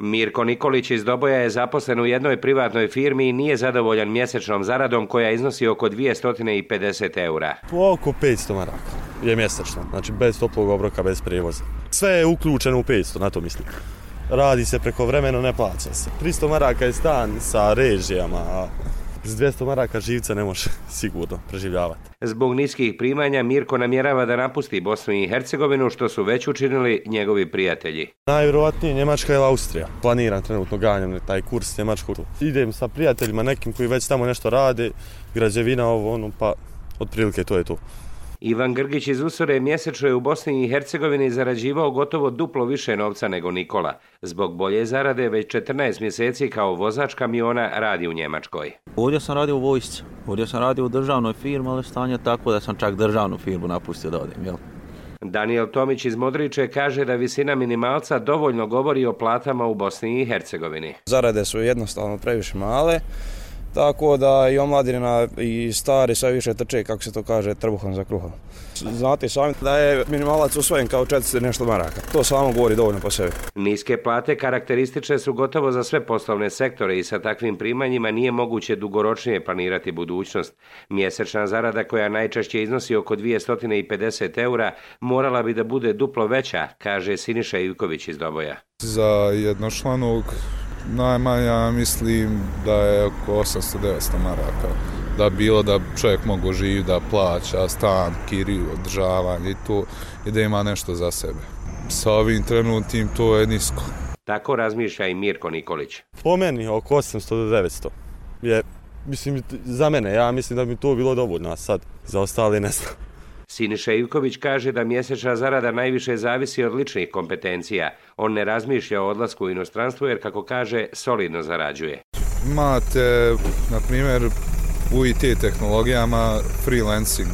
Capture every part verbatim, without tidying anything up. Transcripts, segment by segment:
Mirko Nikolić iz Doboja je zaposlen u jednoj privatnoj firmi i nije zadovoljan mjesečnom zaradom koja iznosi oko dvjesto pedeset eura. Oko petsto maraka je mjesečno, znači bez toplog obroka, bez prijevoza. Sve je uključeno u petsto, na to mislim. Radi se preko vremena, ne plaća se. tristo maraka je stan sa režijama, a s dvjesto maraka živca ne može sigurno preživljavati. Zbog niskih primanja Mirko namjerava da napusti Bosnu i Hercegovinu, što su već učinili njegovi prijatelji. Najvjerojatnije Njemačka ili Austrija. Planiram trenutno, ganjam taj kurs Njemačku. Idem sa prijateljima nekim koji već tamo nešto rade, građevina ovo ono, pa otprilike to je to. Ivan Grgić iz Usore mjesečno je u Bosni i Hercegovini zarađivao gotovo duplo više novca nego Nikola. Zbog bolje zarade već četrnaest mjeseci kao vozač kamiona radi u Njemačkoj. Ovdje sam radio u vojsci, ovdje sam radio u državnoj firmi, ali stanje tako da sam čak državnu firmu napustio da odim, jel? Daniel Tomić iz Modriče kaže da visina minimalca dovoljno govori o platama u Bosni i Hercegovini. Zarade su jednostavno previše male, tako da i omladina i stari sve više trče, kako se to kaže, trbuhom za kruhom. Znate sami da je minimalac usvojen kao četiristo nešto maraka. To samo govori dovoljno po sebi. Niske plate karakteristične su gotovo za sve poslovne sektore i sa takvim primanjima nije moguće dugoročnije planirati budućnost. Mjesečna zarada, koja najčešće iznosi oko dvjesto pedeset eura, morala bi da bude duplo veća, kaže Siniša Ivković iz Doboja. Za jednočlanog najmanja mislim da je oko osamsto do devetsto maraka. Da bilo da čovjek mogu živjeti, da plaća stan, kiriju, održavanje i to, i da ima nešto za sebe. Sa ovim trenutnim to je nisko. Tako razmišlja i Mirko Nikolić. Po meni oko osamsto do devetsto je, mislim, za mene, ja mislim da bi to bilo dovoljno, a sad za ostale ne znam. Siniša Ivković kaže da mjesečna zarada najviše zavisi od ličnih kompetencija. On ne razmišlja o odlasku u inostranstvo jer, kako kaže, solidno zarađuje. Imate, na primjer, u I T tehnologijama freelancing,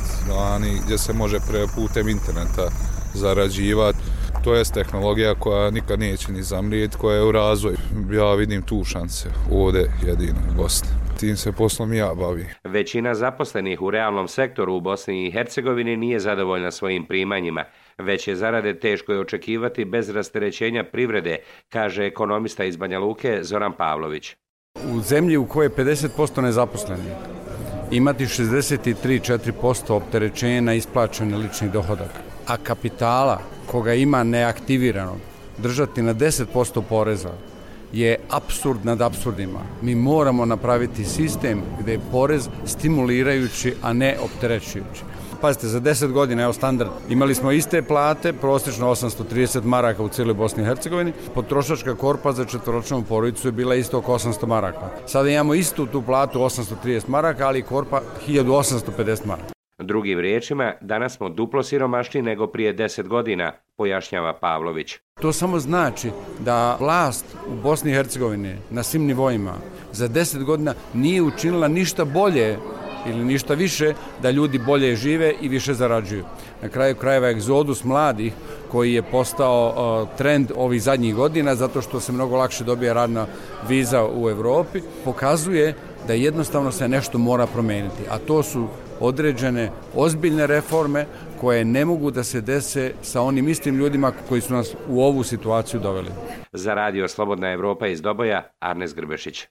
gdje se može pre putem interneta zarađivati. To je tehnologija koja nikad neće ni zamrijeti, koja je u razvoju. Ja vidim tu šanse ovdje jedino u Bosni. Tim se poslom ja bavim. Većina zaposlenih u realnom sektoru u Bosni i Hercegovini nije zadovoljna svojim primanjima. Veće zarade teško je očekivati bez rasterećenja privrede, kaže ekonomista iz Banja Luke Zoran Pavlović. U zemlji u kojoj je pedeset posto nezaposlenih, imati šezdeset tri do četiri posto opterećenja na isplaćeni lični dohodak, a kapitala koga ima neaktiviranog držati na deset posto poreza, je apsurd nad apsurdima. Mi moramo napraviti sistem gdje je porez stimulirajući, a ne opterećujući. Pazite, za deset godina, evo standard, imali smo iste plate, prosječno osamsto trideset maraka u cijeloj Bosni i Hercegovini, potrošačka korpa za četvoročlanu porodicu je bila isto oko osamsto maraka. Sada imamo istu tu platu osamsto trideset maraka, ali korpa hiljadu osamsto pedeset maraka. Drugim riječima, danas smo duplo siromašniji nego prije deset godina, pojašnjava Pavlović. To samo znači da vlast u Bosni i Hercegovini na svim nivoima za deset godina nije učinila ništa bolje ili ništa više da ljudi bolje žive i više zarađuju. Na kraju krajeva egzodus mladih koji je postao uh, trend ovih zadnjih godina zato što se mnogo lakše dobija radna viza u Europi, pokazuje da jednostavno se nešto mora promijeniti, a to su određene ozbiljne reforme koje ne mogu da se dese sa onim istim ljudima koji su nas u ovu situaciju doveli. Za radio Slobodna Evropa iz Doboja, Arnes Grbešić.